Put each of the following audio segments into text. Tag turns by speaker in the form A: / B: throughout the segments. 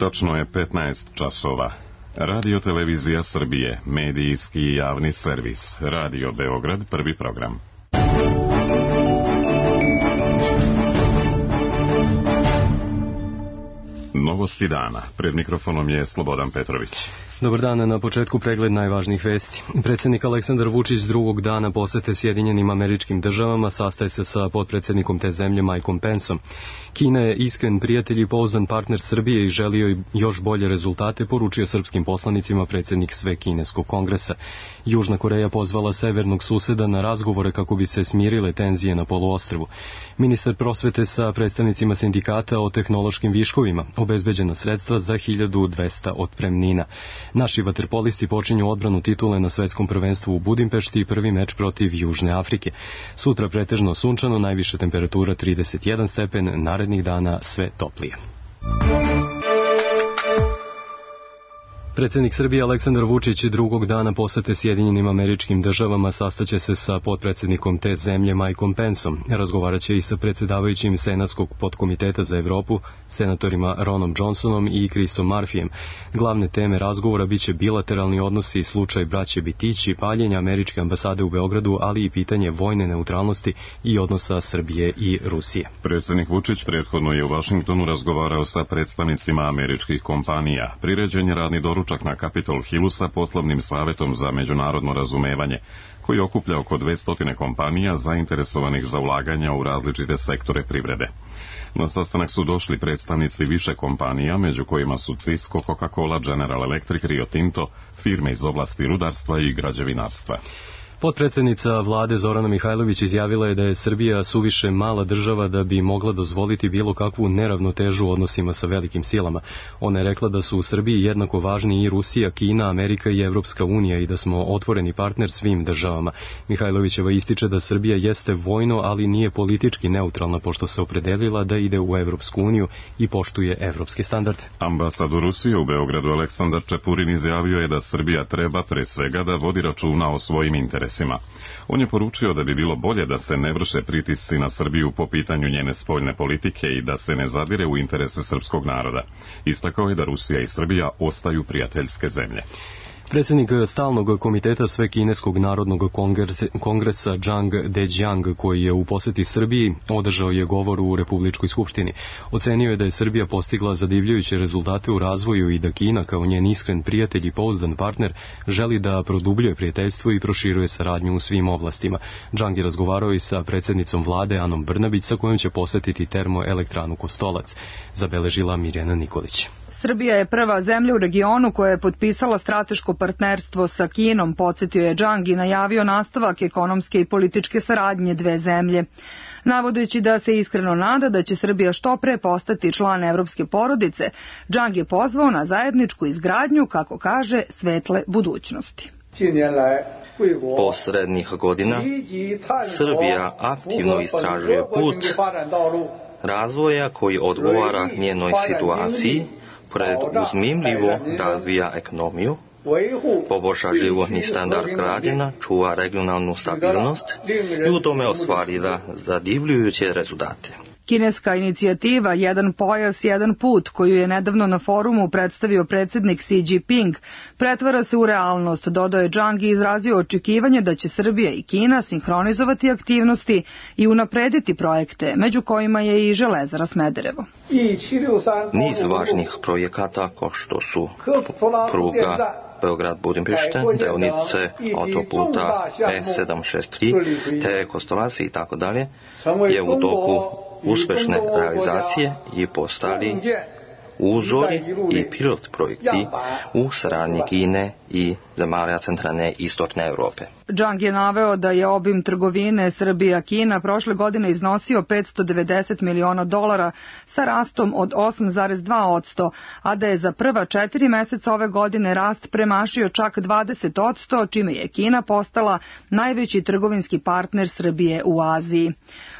A: Tačno je 15 časova. Radio Televizija Srbije, medijski i javni servis. Radio Beograd, prvi program. Novosti dana. Pred mikrofonom je Slobodan Petrović.
B: Dobar dan, na početku pregled najvažnijih vesti. Predsjednik Aleksandar Vučić drugog dana posete Sjedinjenim Američkim Državama, sastaje se sa potpredsjednikom te zemlje Mikeom Penceom. Kina je iskren prijatelj i pouzdan partner Srbije i želio još bolje rezultate, poručio srpskim poslanicima predsjednik Svekineskog kongresa. Južna Koreja pozvala severnog suseda na razgovore kako bi se smirile tenzije na poluostrvu. Ministar prosvete sa predstavnicima sindikata o tehnološkim viškovima, obezbeđena sredstva za 1200 otpremnina. Naši vaterpolisti počinju odbranu titule na svetskom prvenstvu u Budimpešti i prvi meč protiv Južne Afrike. Sutra pretežno sunčano, najviša temperatura 31 stepen, narednih dana sve toplije. Predsjednik Srbije Aleksandar Vučić drugog dana posete Sjedinjenim Američkim Državama, sastaće se sa potpredsjednikom te zemlje Mikeom Penceom. Razgovaraće i sa predsjedavajućim Senatskog podkomiteta za Evropu, senatorima Ronom Johnsonom i Chrisom Murphyjem. Glavne teme razgovora biće bilateralni odnosi, slučaj braće Bitići, paljenja američke ambasade u Beogradu, ali i pitanje vojne neutralnosti i odnosa Srbije i Rusije.
A: Predsjednik Vučić prethodno je u Vašingtonu razgovarao sa predstavnicima američkih kompanija. Priređen je radni doručak na Capitol Hillu sa poslovnim savjetom za međunarodno razumevanje, koji okuplja oko 200 kompanija zainteresovanih za ulaganja u različite sektore privrede. Na sastanak su došli predstavnici više kompanija, među kojima su Cisco, Coca-Cola, General Electric, Rio Tinto, firme iz oblasti rudarstva i građevinarstva.
B: Potpredsjednica vlade Zorana Mihajlović izjavila je da je Srbija suviše mala država da bi mogla dozvoliti bilo kakvu neravnotežu u odnosima sa velikim silama. Ona je rekla da su u Srbiji jednako važni i Rusija, Kina, Amerika i Evropska unija i da smo otvoreni partner svim državama. Mihajlovićeva ističe da Srbija jeste vojno, ali nije politički neutralna, pošto se opredelila da ide u Evropsku uniju i poštuje evropske standarde.
A: Ambasador Rusije u Beogradu Aleksandar Čepurin izjavio je da Srbija treba pre svega da vodi računa o svojim interesima. On je poručio da bi bilo bolje da se ne vrše pritisci na Srbiju po pitanju njene spoljne politike i da se ne zadire u interese srpskog naroda. Istakao je da Rusija i Srbija ostaju prijateljske zemlje.
B: Predsjednik stalnog komiteta Svekineskog narodnog kongresa Zhang Dejiang, koji je u posjeti Srbiji, održao je govor u Republičkoj skupštini. Ocenio je da je Srbija postigla zadivljujuće rezultate u razvoju i da Kina, kao njen iskren prijatelj i pouzdan partner, želi da produbljuje prijateljstvo i proširuje saradnju u svim oblastima. Zhang je razgovarao i sa predsjednicom vlade Anom Brnabić, sa kojom će posjetiti termoelektranu Kostolac, zabeležila Mirjana Nikolić.
C: Srbija je prva zemlja u regionu koja je potpisala strateško partnerstvo sa Kinom, podsjetio je Zhang i najavio nastavak ekonomske i političke saradnje dve zemlje. Navodeći da se iskreno nada da će Srbija što pre postati član evropske porodice, Zhang je pozvao na zajedničku izgradnju, kako kaže, svetle budućnosti.
D: Posrednih godina Srbija aktivno istražuje put razvoja koji odgovara njenoj situaciji, preduzmimljivo razvija ekonomiju, poboljša životni standard građana, čuva regionalnu stabilnost i u tome ostvarila zadivljujuće rezultate.
C: Kineska inicijativa Jedan pojas, jedan put, koju je nedavno na forumu predstavio predsjednik Xi Jinping, pretvara se u realnost, dodao je Zhang i izrazio očekivanje da će Srbija i Kina sinhronizovati aktivnosti i unaprediti projekte, među kojima je i železara Smederevo.
D: Niz važnih projekata kao što su pruga Beograd-Budimpešta, deonice autoputa E763, te Kostolac i tako dalje, je u toku uspešne realizacije i postali uzori i pilot projekti u saradnji Kine i zemalja centralne i istočne Europe.
C: Zhang je naveo da je obim trgovine Srbija-Kina prošle godine iznosio $590 miliona sa rastom od 8,2%, a da je za prva 4 meseca ove godine rast premašio čak 20%, čime je Kina postala najveći trgovinski partner Srbije u Aziji.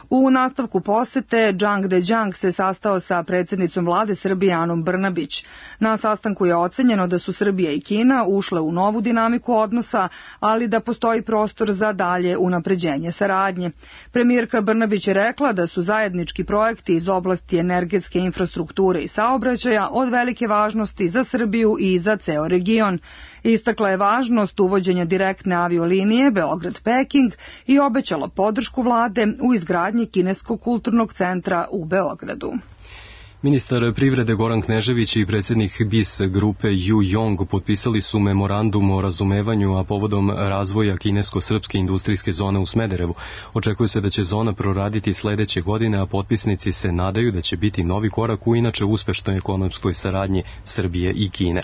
C: U nastavku posete, Zhang Dejiang se sastao sa predsjednicom vlade Srbije Anom Brnabić. Na sastanku je ocenjeno da su Srbija i Kina ušle u novu dinamiku odnosa, ali da postoji prostor za dalje unapređenje saradnje. Premijerka Brnabić je rekla da su zajednički projekti iz oblasti energetske infrastrukture i saobraćaja od velike važnosti za Srbiju i za ceo region. Istakla je važnost uvođenja direktne aviolinije Beograd-Peking i obećala podršku vlade u izgradnji Kineskog kulturnog centra u Beogradu.
B: Ministar privrede Goran Knežević i predsjednik BIS grupe Yu Yong potpisali su memorandum o razumevanju, a povodom razvoja kinesko-srpske industrijske zone u Smederevu. Očekuje se da će zona proraditi sledeće godine, a potpisnici se nadaju da će biti novi korak u inače uspešnoj ekonomskoj saradnji Srbije i Kine.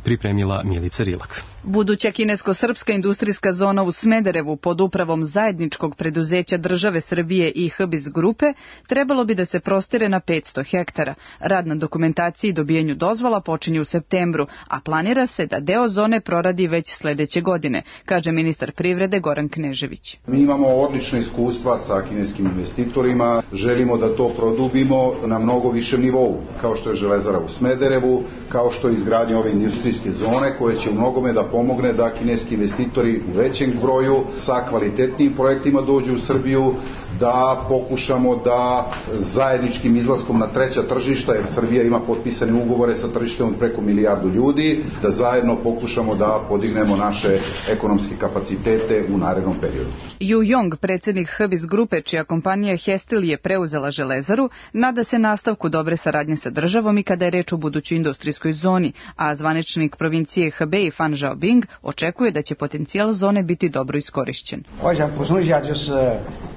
B: Pripremila Milica Rilak.
E: Buduća kinesko-srpska industrijska zona u Smederevu pod upravom zajedničkog preduzeća države Srbije i HBIS grupe trebalo bi da se prostire na 500 hektara. Rad na dokumentaciji i dobijenju dozvola počinje u septembru, a planira se da deo zone proradi već sledeće godine, kaže ministar privrede Goran Knežević.
F: Mi imamo odlična iskustva sa kineskim investitorima, želimo da to produbimo na mnogo višem nivou, kao što je železara u Smederevu, kao što je izgradnja ove industrijske zone koje će u mnogome da pomogne da kineski investitori u većem broju sa kvalitetnim projektima dođu u Srbiju, da pokušamo da zajedničkim izlaskom na treća tržišta, jer Srbija ima potpisane ugovore sa tržištem od preko 1 milijardu ljudi, da zajedno pokušamo da podignemo naše ekonomske kapacitete u narednom periodu.
E: Yu Yong, predsjednik HBIS grupe, čija kompanija Hestil je preuzela železaru, nada se nastavku dobre saradnje sa državom i kada je reč o budućoj industrijskoj zoni, a zvaničnik provincije Hebei Fan Zhaobing očekuje da će potencijal zone biti dobro iskorišćen.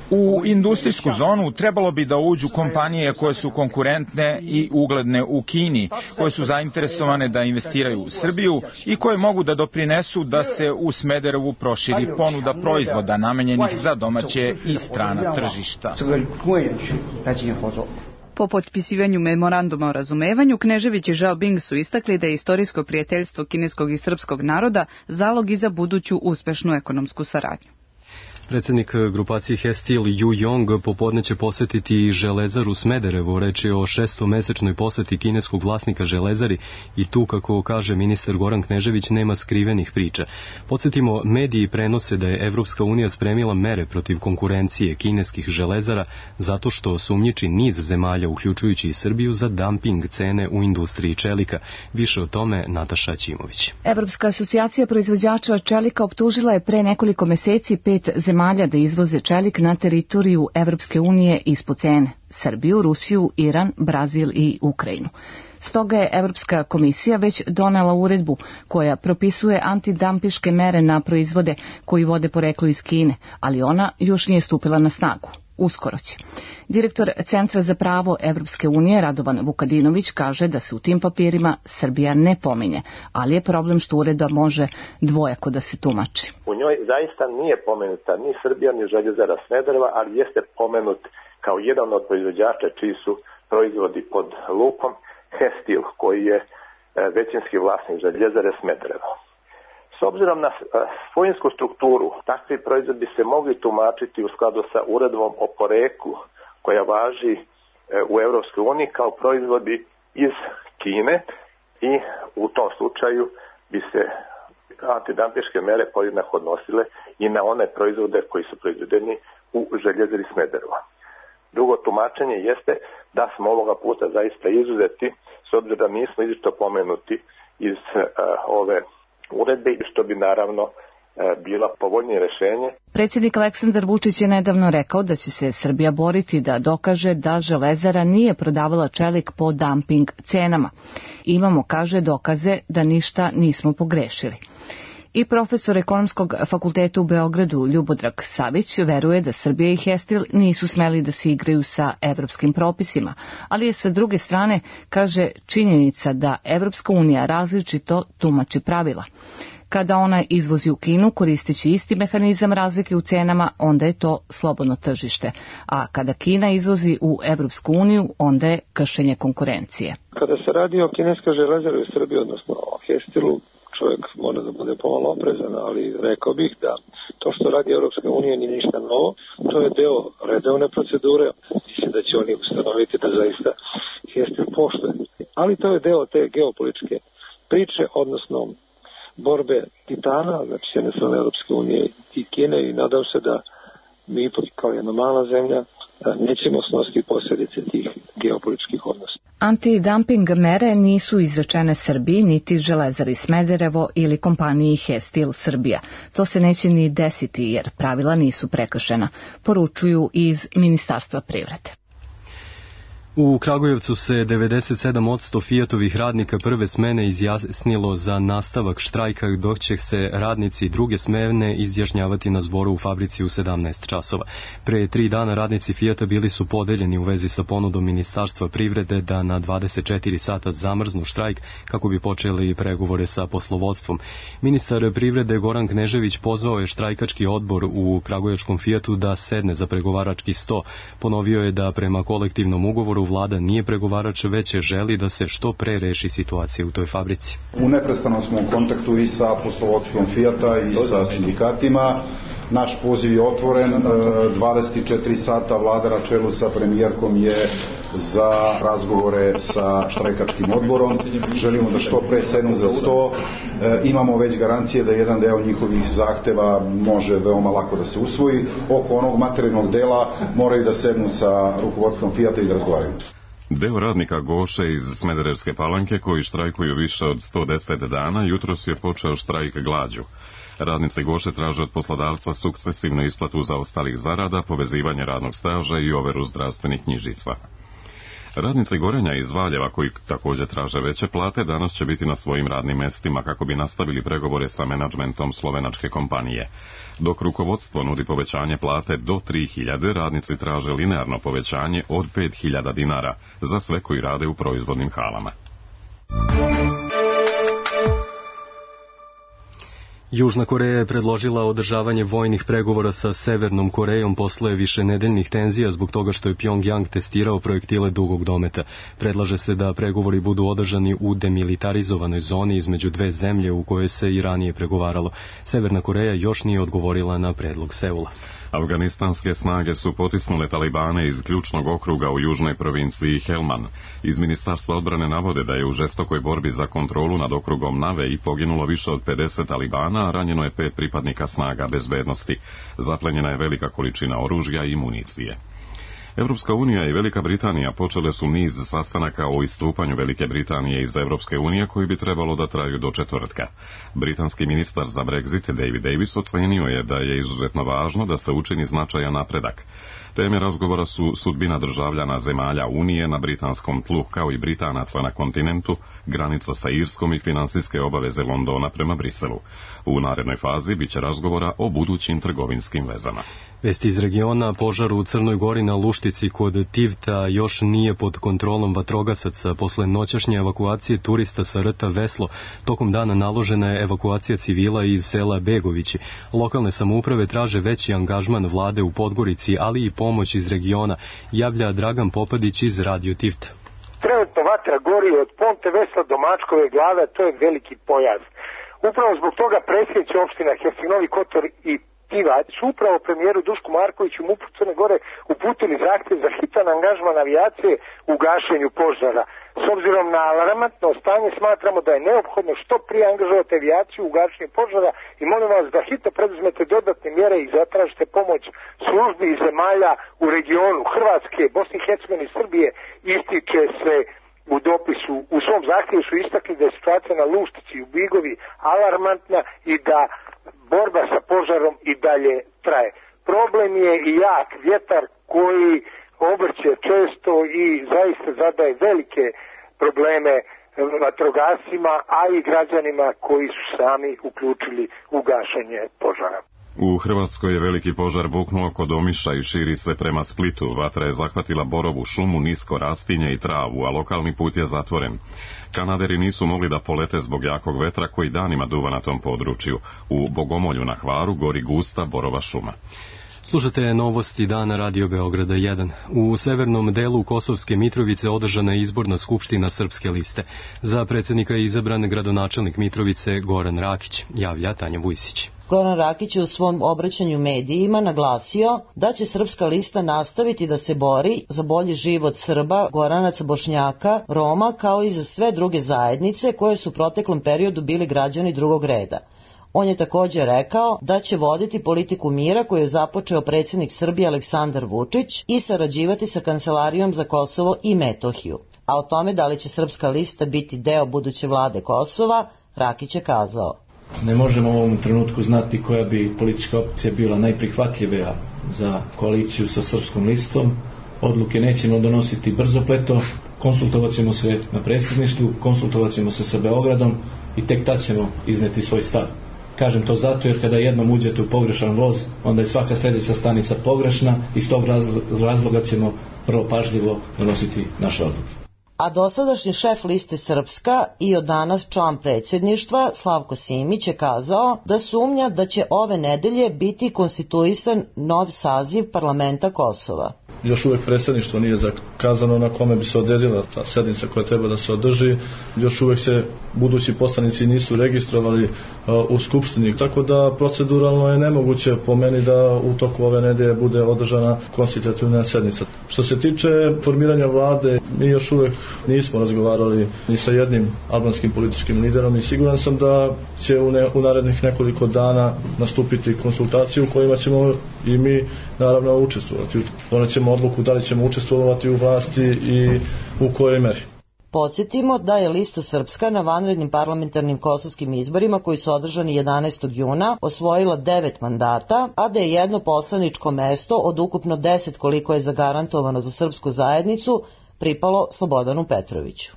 G: U industrijsku zonu trebalo bi da uđu kompanije koje su konkurentne i ugledne u Kini, koje su zainteresovane da investiraju u Srbiju i koje mogu da doprinesu da se u Smederevu proširi ponuda proizvoda namenjenih za domaće i strana tržišta.
E: Po potpisivanju memoranduma o razumevanju, Knežević i Zhaobing su istakli da je istorijsko prijateljstvo kineskog i srpskog naroda zalog i za buduću uspešnu ekonomsku saradnju.
B: Predsjednik grupacije Hestil Yu Yong popodne će posetiti Železaru Smederevo. Reč je o 6-mesečnoj poseti kineskog vlasnika Železari i tu, kako kaže ministar Goran Knežević, nema skrivenih priča. Podsjetimo, mediji prenose da je Evropska unija spremila mere protiv konkurencije kineskih železara zato što sumnjiči niz zemalja, uključujući i Srbiju, za dumping cene u industriji čelika. Više o tome Nataša Ćimović.
H: Evropska asocijacija proizvođača čelika optužila je pre nekoliko meseci 5 zemalja da izvoze čelik na teritoriju Evropske unije ispod cene: Srbiju, Rusiju, Iran, Brazil i Ukrajinu. Stoga je Evropska komisija već donela uredbu koja propisuje antidampiške mere na proizvode koji vode poreklo iz Kine, ali ona još nije stupila na snagu. Uskoro će. Direktor Centra za pravo Evropske unije Radovan Vukadinović kaže da se u tim papirima Srbija ne pominje, ali je problem što uredba može dvojako da se tumači.
I: U njoj zaista nije pomenuta ni Srbija ni Željezara Smedereva, ali jeste pomenut kao jedan od proizvođača čiji su proizvodi pod lupom Hestil, koji je većinski vlasnik Željezare Smedereva. S obzirom na svojinsku strukturu, takvi proizvodi bi se mogli tumačiti u skladu sa uredbom o poreklu koja važi u Evropskoj uniji kao proizvodi iz Kine i u tom slučaju bi se antidampiške mere podjednako odnosile i na one proizvode koji su proizvedeni u Željezari Smedereva. Drugo tumačenje jeste da smo ovoga puta zaista izuzeti, s obzirom da nismo izričito pomenuti iz ove uredbe, što bi naravno bila povoljnije rešenje.
H: Predsjednik Aleksandar Vučić je nedavno rekao da će se Srbija boriti da dokaže da Železara nije prodavala čelik po dumping cenama. Imamo, kaže, dokaze da ništa nismo pogrešili. I profesor ekonomskog fakulteta u Beogradu Ljubodrag Savić veruje da Srbija i Hestil nisu smeli da se igraju sa evropskim propisima, ali je sa druge strane, kaže, činjenica da Evropska unija različito tumači pravila. Kada ona izvozi u Kinu koristeći isti mehanizam razlike u cenama, onda je to slobodno tržište, a kada Kina izvozi u Evropsku uniju, onda je kršenje konkurencije.
J: Kada se radi o kineskoj železari u Srbiji, odnosno o Hestilu, čovjek mora da bude pomalo oprezan, ali rekao bih da to što radi Europska unija nije ništa novo, to je deo redovne procedure, mislim da će oni ustanoviti da zaista Hestil poštuje. Ali to je deo te geopolitičke priče, odnosno borbe titana, znači s jedne strane Europske unije i Kine, i nadam se da mi kao jedna mala zemlja nećemo snositi posljedice tih geopolitičkih odnosa.
H: Antidumping mere nisu izrečene Srbiji, niti Železari Smederevo ili kompaniji Hestil Srbija. To se neće ni desiti jer pravila nisu prekršena, poručuju iz Ministarstva privrede.
B: U Kragujevcu se 97% Fiatovih radnika prve smene izjasnilo za nastavak štrajka, dok će se radnici druge smene izjašnjavati na zboru u fabrici u 17 časova. Pre 3 dana radnici Fiata bili su podeljeni u vezi sa ponudom Ministarstva privrede da na 24 sata zamrznu štrajk kako bi počeli pregovore sa poslovodstvom. Ministar privrede Goran Knežević pozvao je štrajkački odbor u Kragujevčkom Fiatu da sedne za pregovarački sto. Ponovio je da prema kolektivnom ugovoru vlada nije pregovarač, već želi da se što pre reši situacija u toj fabrici.
F: U neprestanom smo u kontaktu i sa poslovodstvom Fijata i sa sindikatima. Naš poziv je otvoren, 24 sata vlada na čelu sa premijerkom je za razgovore sa štrajkačkim odborom. Želimo da što pre sednu za sto. Imamo već garancije da jedan deo njihovih zahteva može veoma lako da se usvoji. Oko onog materijalnog dela moraju da sednu sa rukovodstvom Fijata i da razgovaraju.
A: Deo radnika Goše iz Smederevske Palanke, koji štrajkuju više od 110 dana, jutros je počeo štrajk glađu. Radnici Goše traže od poslodavca sukcesivnu isplatu zaostalih zarada, povezivanje radnog staža i overu zdravstvenih knjižica. Radnici Gorenja iz Valjeva, koji također traže veće plate, danas će biti na svojim radnim mestima kako bi nastavili pregovore sa menadžmentom slovenačke kompanije. Dok rukovodstvo nudi povećanje plate do 3.000, radnici traže linearno povećanje od 5.000 dinara za sve koji rade u proizvodnim halama.
B: Južna Koreja je predložila održavanje vojnih pregovora sa Severnom Korejom posle višenedeljnih tenzija zbog toga što je Pjongjang testirao projektile dugog dometa. Predlaže se da pregovori budu održani u demilitarizovanoj zoni između dve zemlje u kojoj se i ranije pregovaralo. Severna Koreja još nije odgovorila na predlog Seula.
A: Afganistanske snage su potisnule talibane iz ključnog okruga u južnoj provinciji Helman. Iz Ministarstva odbrane navode da je u žestokoj borbi za kontrolu nad okrugom Nave i poginulo više od 50 talibana, a ranjeno je 5 pripadnika snaga bezbednosti. Zaplenjena je velika količina oružja i municije. Europska unija i Velika Britanija počele su niz sastanaka o istupanju Velike Britanije iz Europske unije koji bi trebalo da traju do četvrtka. Britanski ministar za Brexit David Davis ocenio je da je izuzetno važno da se učini značajan napredak. Teme razgovora su sudbina državljana zemalja Unije na britanskom tlu, kao i Britanaca na kontinentu, granica sa Irskom i finansijske obaveze Londona prema Briselu. U narednoj fazi biće razgovora o budućim trgovinskim vezama.
B: Vesti iz regiona: požar u Crnoj Gori na Luštici kod Tivta još nije pod kontrolom vatrogasaca. Posle noćašnje evakuacije turista sa rta Veslo, tokom dana naložena je evakuacija civila iz sela Begovići. Lokalne samouprave traže veći angažman vlade u Podgorici, ali i pomoć iz regiona, javlja Dragan Popadić iz Radio Tivta.
K: Trenutno vatra gori od Ponte Vesla do Mačkove glave, to je veliki pojas. Upravo zbog toga predsjednici opština Herceg-Novi Kotor i Tivać su upravo premijeru Dušku Markoviću u MUP Crne Gore uputili zahtjev za hitan angažman avijacije u gašenju požara. S obzirom na alarmantno stanje smatramo da je neophodno što prije angažovati avijaciju u gašenju požara i molim vas da hitno preduzmete dodatne mjere i zatražite pomoć službi i zemalja u regionu Hrvatske, Bosne i Hercegovine i Srbije. Ističe se u dopisu, u svom zahtjevu su istakli da je situacija na Luštici i u Bigovi alarmantna i da borba sa požarom i dalje traje. Problem je i jak vjetar koji obrće često i zaista zadaje velike probleme vatrogascima, a i građanima koji su sami uključili u gašenje požara.
A: U Hrvatskoj je veliki požar buknuo kod Omiša i širi se prema Splitu. Vatra je zahvatila borovu šumu, nisko rastinje i travu, a lokalni put je zatvoren. Kanaderi nisu mogli da polete zbog jakog vetra koji danima duva na tom području. U Bogomolju na Hvaru gori gusta borova šuma.
B: Slušate novosti dana Radio Beograda 1. U severnom delu Kosovske Mitrovice održana je izborna skupština Srpske liste. Za predsjednika je izabran gradonačelnik Mitrovice Goran Rakić, javlja Tanja Vujsić.
L: Goran Rakić je u svom obraćanju medijima naglasio da će Srpska lista nastaviti da se bori za bolji život Srba, Goranaca, Bošnjaka, Roma, kao i za sve druge zajednice koje su u proteklom periodu bili građani drugog reda. On je također rekao da će voditi politiku mira koju je započeo predsjednik Srbije Aleksandar Vučić i sarađivati sa Kancelarijom za Kosovo i Metohiju. A o tome da li će Srpska lista biti deo buduće vlade Kosova, Rakić je kazao.
M: Ne možemo u ovom trenutku znati koja bi politička opcija bila najprihvatljivija za koaliciju sa Srpskom listom. Odluke nećemo donositi brzopleto, konsultovat ćemo se na predsjedništvu, konsultovat ćemo se sa Beogradom i tek tad ćemo izneti svoj stav. Kažem to zato jer kada jednom uđete u pogrešan voz, onda je svaka sljedeća stanica pogrešna i iz tog razloga ćemo prvo pažljivo donositi naše odluke.
L: A dosadašnji šef liste Srpska i od danas član predsjedništva Slavko Simić je kazao da sumnja da će ove nedelje biti konstituisan nov saziv parlamenta Kosova.
N: Još uvijek predsjedništvo nije zakazano na kome bi se odredila ta sednica koja treba da se održi. Još uvijek se budući poslanici nisu registrovali u Skupštini, tako da proceduralno je nemoguće po meni da u toku ove nedelje bude održana konstitutivna sednica. Što se tiče formiranja vlade, mi još uvijek nismo razgovarali ni sa jednim albanskim političkim liderom i siguran sam da će u narednih nekoliko dana nastupiti konsultacije u kojima ćemo i mi naravno učestvovati. Donećemo odluku da li ćemo učestvovati u vlasti i u kojoj meri.
L: Podsjetimo da je lista Srpska na vanrednim parlamentarnim kosovskim izborima koji su održani 11. juna osvojila 9 mandata, a da je jedno poslaničko mesto od ukupno 10 koliko je zagarantovano za srpsku zajednicu pripalo Slobodanu Petroviću.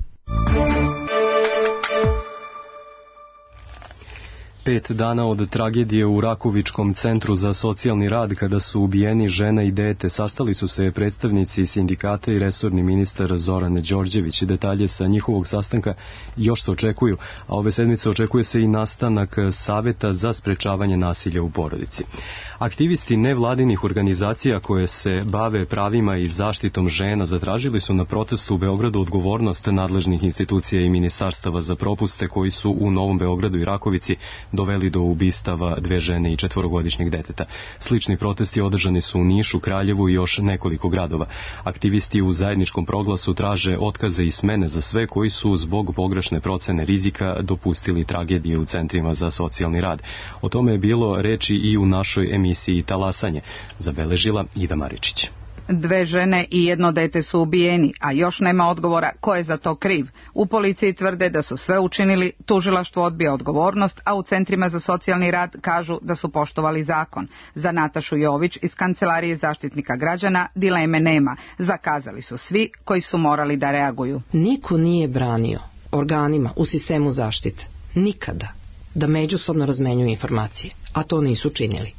B: 5 dana od tragedije u Rakovičkom centru za socijalni rad kada su ubijeni žena i dete sastali su se predstavnici sindikata i resorni ministar Zoran Đorđević. Detalje sa njihovog sastanka još se očekuju, a ove sedmice očekuje se i nastanak saveta za sprečavanje nasilja u porodici. Aktivisti nevladinih organizacija koje se bave pravima i zaštitom žena zatražili su na protestu u Beogradu odgovornost nadležnih institucija i ministarstava za propuste koji su u Novom Beogradu i Rakovici doveli do ubistava 2 žene i 4-godišnjeg deteta. Slični protesti održani su u Nišu, Kraljevu i još nekoliko gradova. Aktivisti u zajedničkom proglasu traže otkaze i smene za sve koji su zbog pogrešne procene rizika dopustili tragedije u centrima za socijalni rad. O tome je bilo reči i u našoj emisiji Talasanje, zabeležila Ida Maričić.
O: 2 žene i 1 dete su ubijeni, a još nema odgovora ko je za to kriv. U policiji tvrde da su sve učinili, tužilaštvo odbija odgovornost, a u centrima za socijalni rad kažu da su poštovali zakon. Za Natašu Jović iz Kancelarije zaštitnika građana dileme nema. Zakazali su svi koji su morali da reaguju.
P: Niko nije branio organima u sistemu zaštite nikada da međusobno razmenjuju informacije, a to nisu činili.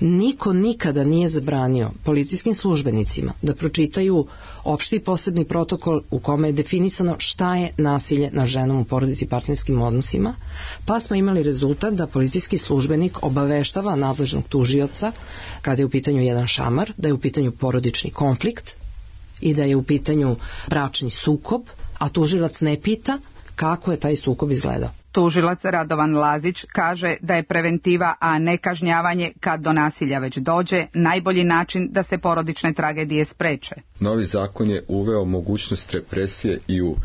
P: Niko nikada nije zabranio policijskim službenicima da pročitaju opšti posebni protokol u kome je definisano šta je nasilje nad ženom u porodici i partnerskim odnosima, pa smo imali rezultat da policijski službenik obaveštava nadležnog tužioca kada je u pitanju jedan šamar, da je u pitanju porodični konflikt i da je u pitanju bračni sukob, a tužilac ne pita kako je taj sukob izgledao.
O: Tužilac Radovan Lazić kaže da je preventiva, a ne kažnjavanje kad do nasilja već dođe, najbolji način da se porodične tragedije spreče.
Q: Novi zakon je uveo mogućnost represije i u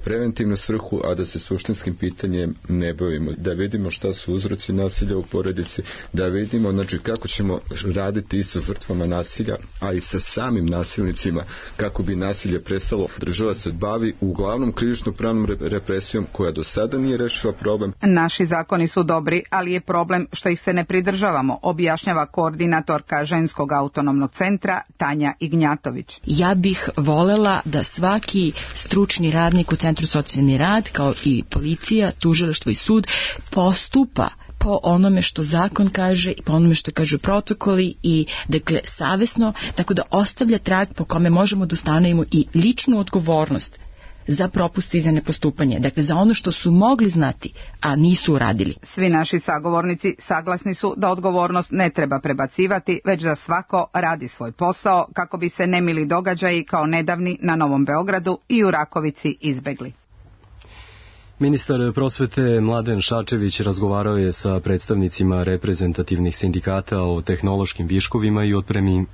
Q: preventivnu svrhu, a da se suštinskim pitanjem ne bavimo. Da vidimo šta su uzroci nasilja u porodici, da vidimo kako ćemo raditi i sa žrtvama nasilja, a i sa samim nasilnicima, kako bi nasilje prestalo. Država se bavi uglavnom krivično-pravnom represijom koja do sada nije rešila problem.
O: Naši zakoni su dobri, ali je problem što ih se ne pridržavamo, objašnjava koordinatorka Ženskog autonomnog centra Tanja Ignjatović.
R: Ja bih volela da svaki stručni radnik u Centru socijalni rad, kao i policija, tužilaštvo i sud, postupa po onome što zakon kaže i po onome što kažu protokoli i dakle savesno, tako da ostavlja trag po kome možemo da ustanovimo i ličnu odgovornost za propuste i za nepostupanje. Dakle, za ono što su mogli znati, a nisu uradili.
O: Svi naši sagovornici saglasni su da odgovornost ne treba prebacivati, već da svako radi svoj posao kako bi se nemili događaji kao nedavni na Novom Beogradu i u Rakovici izbegli.
B: Ministar prosvete Mladen Šarčević razgovarao je sa predstavnicima reprezentativnih sindikata o tehnološkim viškovima i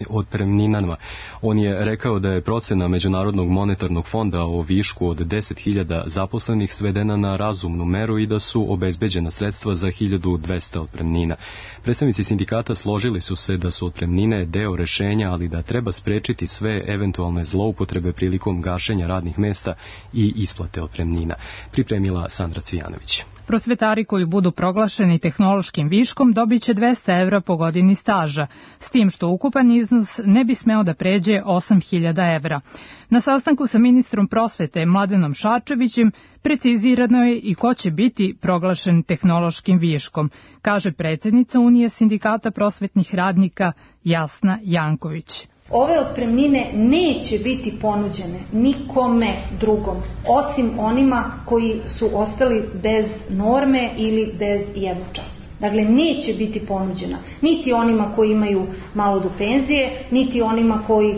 B: otpremninama. On je rekao da je procena Međunarodnog monetarnog fonda o višku od 10.000 zaposlenih svedena na razumnu meru i da su obezbeđena sredstva za 1.200 otpremnina. Predstavnici sindikata složili su se da su otpremnine deo rešenja, ali da treba sprečiti sve eventualne zloupotrebe prilikom gašenja radnih mesta i isplate otpremnina. Pripremila Sandra Cvijanović.
S: Prosvetari koji budu proglašeni tehnološkim viškom dobiće 200 evra po godini staža, s tim što ukupan iznos ne bi smeo da pređe 8.000 evra. Na sastanku sa ministrom prosvete Mladenom Šarčevićem precizirano je i ko će biti proglašen tehnološkim viškom, kaže predsjednica Unije sindikata prosvetnih radnika Jasna Janković.
T: Ove otpremnine neće biti ponuđene nikome drugom, osim onima koji su ostali bez norme ili bez jednočasa. Dakle, neće biti ponuđena niti onima koji imaju malo do penzije, niti onima koji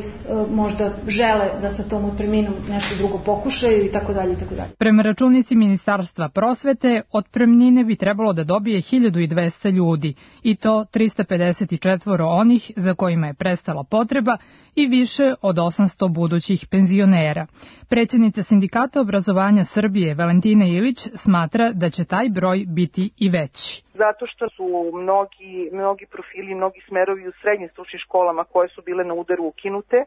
T: možda žele da sa tom otpremninom nešto drugo pokušaju i tako dalje i tako dalje.
S: Prema računici Ministarstva prosvete, otpremnine bi trebalo da dobije 1.200 ljudi i to 354 onih za kojima je prestala potreba i više od 800 budućih penzionera. Predsjednica Sindikata obrazovanja Srbije Valentina Ilić smatra da će taj broj biti i veći.
U: Zato što su mnogi profili, mnogi smerovi u srednjim stručnim školama koje su bile na udaru ukinute.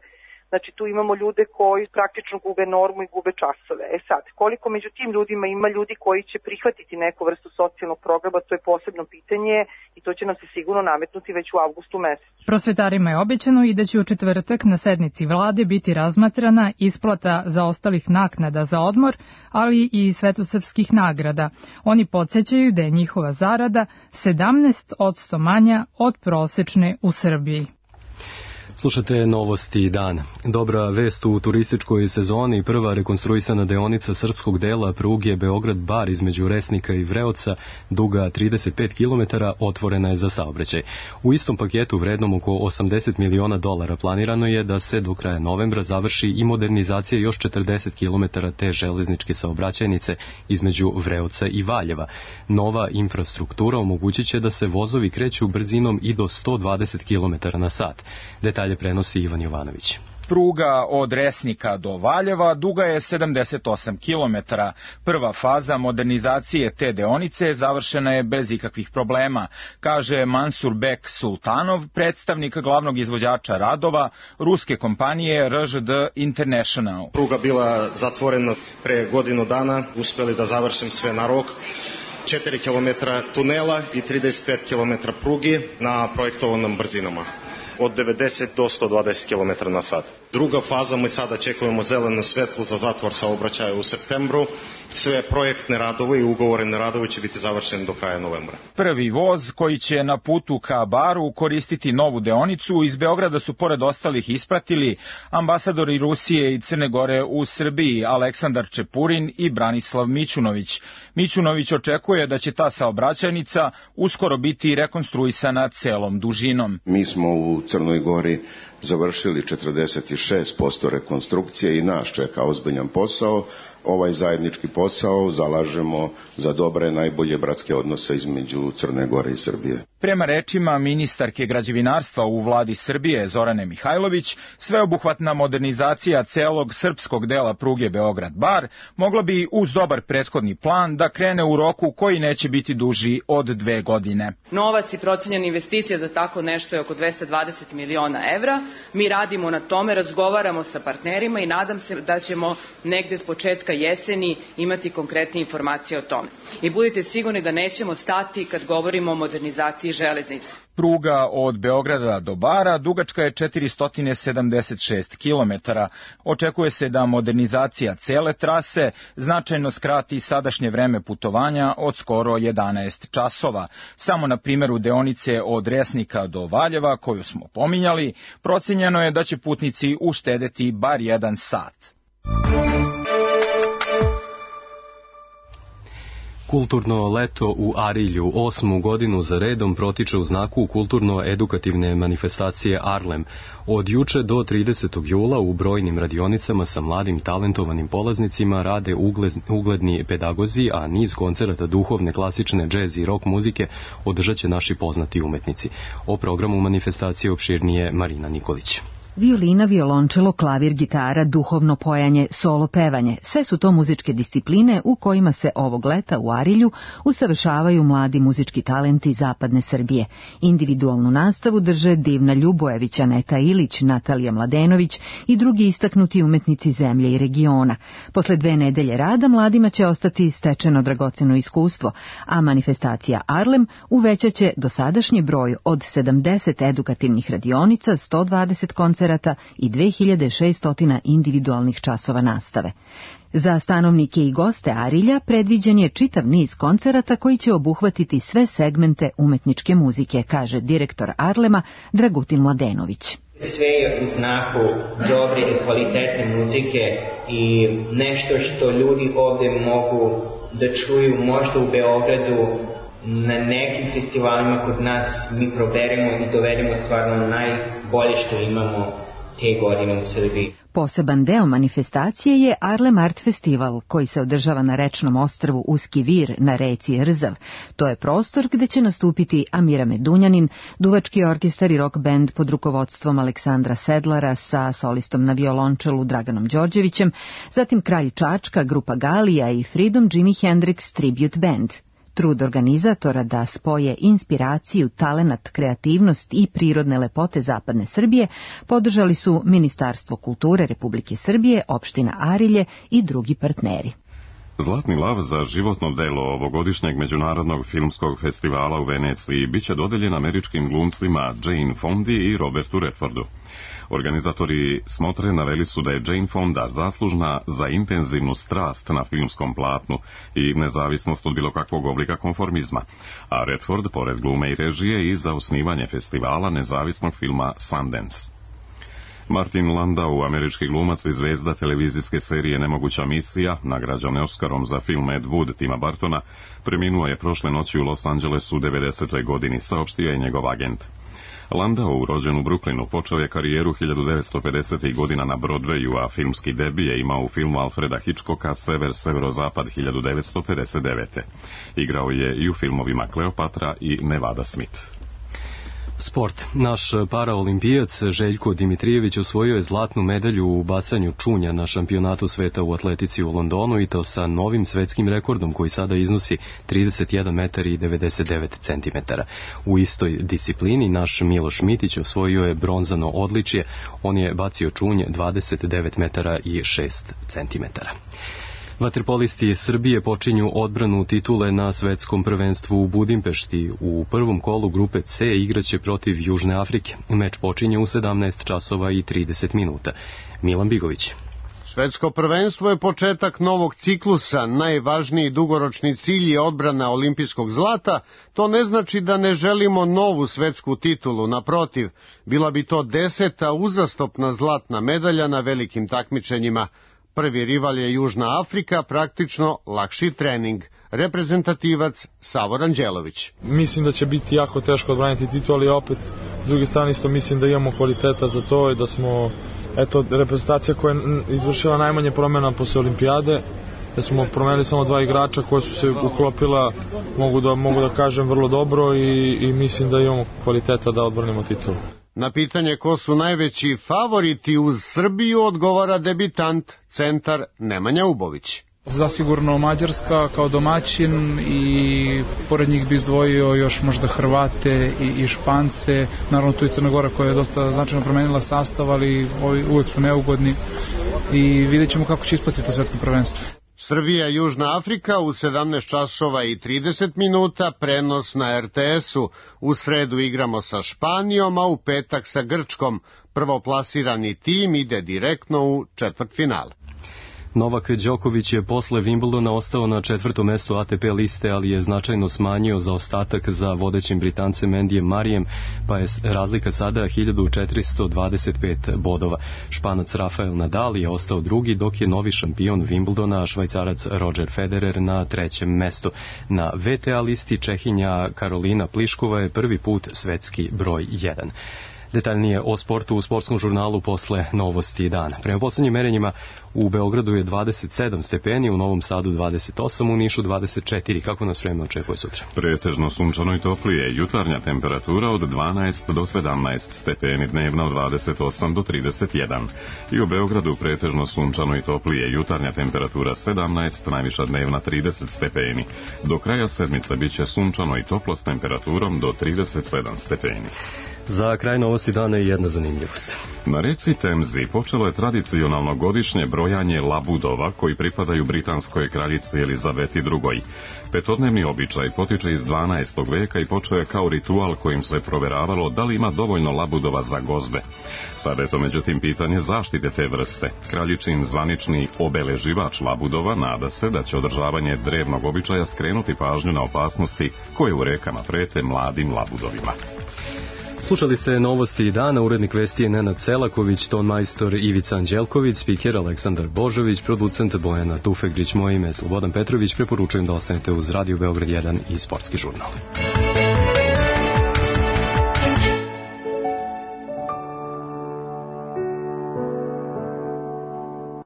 U: Znači tu imamo ljude koji praktično gube normu i gube časove. Sad, koliko među tim ljudima ima ljudi koji će prihvatiti neku vrstu socijalnog programa, to je posebno pitanje i to će nam se sigurno nametnuti već u avgustu mesecu.
S: Prosvetarima je obećano i da će u četvrtak na sednici vlade biti razmatrana isplata zaostalih naknada za odmor, ali i svetosrpskih nagrada. Oni podsećaju da je njihova zarada 17% manja od prosečne u Srbiji.
B: Slušate Novosti dan. Dobra vest u turističkoj sezoni, prva rekonstruisana deonica srpskog dela pruge Beograd-Bar između Resnika i Vreoca, duga 35 km, otvorena je za saobraćaj. U istom paketu vrednom oko $80 miliona planirano je da se do kraja novembra završi i modernizacija još 40 km te železničke saobraćajnice između Vreoca i Valjeva. Nova infrastruktura omogućit će da se vozovi kreću brzinom i do 120 km na sat. Detalje prenosi Ivan Jovanović.
G: Pruga od Resnika do Valjeva duga je 78 km. Prva faza modernizacije te deonice završena je bez ikakvih problema, kaže Mansur Bek Sultanov, predstavnik glavnog izvođača radova ruske kompanije RŽD International.
V: Pruga bila zatvorena pre godinu dana, uspeli da završim sve na rok. 4 km tunela i 35 km prugi na projektovanim brzinama. Od 90 do 120 km na sat. Druga faza, mi sada čekujemo zeleno svetlo za zatvor saobraćaja u septembru. Sve projektne radove i ugovorene radove će biti završeni do kraja novembra.
G: Prvi voz koji će na putu ka Baru koristiti novu deonicu iz Beograda su pored ostalih ispratili ambasadori Rusije i Crne Gore u Srbiji Aleksandar Čepurin i Branislav Mićunović. Mićunović očekuje da će ta saobraćajnica uskoro biti rekonstruisana celom dužinom.
W: Mi smo u Crnoj Gori završili 46% rekonstrukcije i nas čeka ozbiljan posao. Ovaj zajednički posao zalažemo za dobre, najbolje bratske odnose između Crne Gore i Srbije.
G: Prema rečima ministarke građevinarstva u vladi Srbije Zorane Mihajlović, sveobuhvatna modernizacija celog srpskog dela pruge Beograd-Bar mogla bi uz dobar prethodni plan da krene u roku koji neće biti duži od 2 godine.
X: Novac i procenjena investicija za tako nešto je oko 220 miliona evra. Mi radimo na tome, razgovaramo sa partnerima i nadam se da ćemo negde s početka jeseni imati konkretne informacije o tome. I budite sigurni da nećemo stati kad govorimo o modernizaciji železnice.
G: Pruga od Beograda do Bara dugačka je 476 km. Očekuje se da modernizacija cele trase značajno skrati sadašnje vreme putovanja od skoro 11 časova. Samo na primjeru deonice od Resnika do Valjeva, koju smo pominjali, procenjeno je da će putnici uštedeti bar 1 sat.
B: Kulturno leto u Arilju 8. godinu za redom protiče u znaku kulturno-edukativne manifestacije Arlem. Od juče do 30. jula u brojnim radionicama sa mladim talentovanim polaznicima rade ugledni pedagozi, a niz koncerata duhovne, klasične, džez i rock muzike održat će naši poznati umetnici. O programu manifestacije opširnije Marina Nikolić.
C: Violina, violončelo, klavir, gitara, duhovno pojanje, solo pevanje. Sve su to muzičke discipline u kojima se ovog leta u Arilju usavršavaju mladi muzički talenti zapadne Srbije. Individualnu nastavu drže Divna Ljubojević, Aneta Ilić, Natalija Mladenović i drugi istaknuti umetnici zemlje i regiona. Posle 2 nedelje rada mladima će ostati stečeno dragoceno iskustvo, a manifestacija Arlem uvećaće dosadašnji broj od 70 edukativnih radionica, 120 koncerata i 2600 individualnih časova nastave. Za stanovnike i goste Arilja predviđen je čitav niz koncerata koji će obuhvatiti sve segmente umetničke muzike, kaže direktor Arlema Dragutin Mladenović.
D: Sve je u znaku dobre i kvalitetne muzike i nešto što ljudi ovdje mogu da čuju možda u Beogradu. Na nekim festivalima kod nas mi proberemo i dovedemo stvarno najbolje što imamo te godine u Srbiji.
C: Poseban deo manifestacije je Arlem Art Festival, koji se održava na rečnom ostrvu Uski Vir na reci Rzav. To je prostor gde će nastupiti Amira Medunjanin, duvački orkestar i rock band pod rukovodstvom Aleksandra Sedlara sa solistom na violončelu Draganom Đorđevićem, zatim Kralj Čačka, grupa Galija i Freedom Jimi Hendrix Tribute Band. Trud organizatora da spoje inspiraciju, talenat, kreativnost i prirodne lepote zapadne Srbije podržali su Ministarstvo kulture Republike Srbije, opština Arilje i drugi partneri.
A: Zlatni lav za životno delo ovogodišnjeg međunarodnog filmskog festivala u Veneciji biće dodeljen američkim glumcima Jane Fondi i Robertu Redfordu. Organizatori smotre naveli su da je Jane Fonda zaslužna za intenzivnu strast na filmskom platnu i nezavisnost od bilo kakvog oblika konformizma, a Redford, pored glume i režije, i za osnivanje festivala nezavisnog filma Sundance. Martin Landau, američki glumac i zvezda televizijske serije Nemoguća misija, nagrađen Oscarom za film Ed Wood Tima Bartona, preminuo je prošle noći u Los Angelesu u 90. godini, saopštio je njegov agent. Landau, rođen u Brooklynu, počeo je karijeru 1950. godina na Broadwayu, a filmski debi je imao u filmu Alfreda Hitchcocka Sever-Severozapad 1959. Igrao je i u filmovima Kleopatra i Nevada Smith.
B: Sport. Naš paraolimpijac Željko Dimitrijević osvojio je zlatnu medalju u bacanju čunja na šampionatu sveta u atletici u Londonu, i to sa novim svetskim rekordom koji sada iznosi 31 metar i 99 centimetara. U istoj disciplini naš Miloš Mitić osvojio je bronzano odličje. On je bacio čunj 29 metara i 6 centimetara. Vaterpolisti Srbije počinju odbranu titule na svetskom prvenstvu u Budimpešti. U prvom kolu grupe C igraće protiv Južne Afrike. Meč počinje u 17 časova i 30 minuta. Milan Bigović.
E: Svetsko prvenstvo je početak novog ciklusa. Najvažniji dugoročni cilj je odbrana olimpijskog zlata. To ne znači da ne želimo novu svetsku titulu. Naprotiv, bila bi to 10. uzastopna zlatna medalja na velikim takmičenjima. Prvi rival je Južna Afrika, praktično lakši trening. Reprezentativac Savor Anđelović.
I: Mislim da će biti jako teško odbraniti titul, ali opet s druge strane isto mislim da imamo kvaliteta za to i da smo reprezentacija koja je izvršila najmanje promjena posle olimpijade, da smo promenili samo 2 igrača koja su se uklopila, mogu da kažem, vrlo dobro i mislim da imamo kvaliteta da odbranimo titul.
E: Na pitanje ko su najveći favoriti uz Srbiju odgovara debitant, centar Nemanja Ubović.
Y: Zasigurno Mađarska kao domaćin i pored njih bi izdvojio još možda Hrvate i Špance. Naravno tu i Crna Gora koja je dosta značajno promenila sastav, ali uvek su neugodni i vidjet ćemo kako će ispasti to svetsko prvenstvo.
E: Srbija, Južna Afrika u 17 časova i 30 minuta, prenos na RTS-u. U sredu igramo sa Španijom, a u petak sa Grčkom. Prvoplasirani tim ide direktno u četvrtfinale.
B: Novak Đoković je posle Wimbledona ostao na 4. mestu ATP liste, ali je značajno smanjio zaostatak za vodećim Britancem Andyjem Murrayem, pa je razlika sada 1425 bodova. Španac Rafael Nadal je ostao drugi, dok je novi šampion Wimbledona, Švajcarac Roger Federer, na 3. mestu. Na VTA listi Čehinja Karolina Pliškova je prvi put svetski broj 1. Detaljnije o sportu u sportskom žurnalu posle novosti dana. Prema poslednjim merenjima u Beogradu je 27 stepeni, u Novom Sadu 28, u Nišu 24. Kako nas vreme očekuje sutra?
A: Pretežno sunčano i toplije, jutarnja temperatura od 12 do 17 stepeni, dnevna od 28 do 31. I u Beogradu pretežno sunčano i toplije, jutarnja temperatura 17, najviša dnevna 30 stepeni. Do kraja sedmice biće sunčano i toplo s temperaturom do 37 stepeni.
B: Za kraj novosti dana je jedna zanimljivost.
A: Na reci Temzi počelo je tradicionalno godišnje brojanje labudova koji pripadaju britanskoj kraljici Elizabeti II. Petodnevni običaj potiče iz 12. veka i počeo je kao ritual kojim se proveravalo da li ima dovoljno labudova za gozbe. Sada je to međutim pitanje zaštite te vrste. Kraljičin zvanični obeleživač labudova nada se da će održavanje drevnog običaja skrenuti pažnju na opasnosti koje u rekama prete mladim labudovima.
B: Slušali ste novosti dana, urednik vesti je Nenad Celaković, ton majstor Ivica Anđelković, spiker Aleksandar Božović, producent Bojana Tufegđić, moje ime je Slobodan Petrović, preporučujem da ostanete uz Radio Beograd 1 i Sportski žurnal.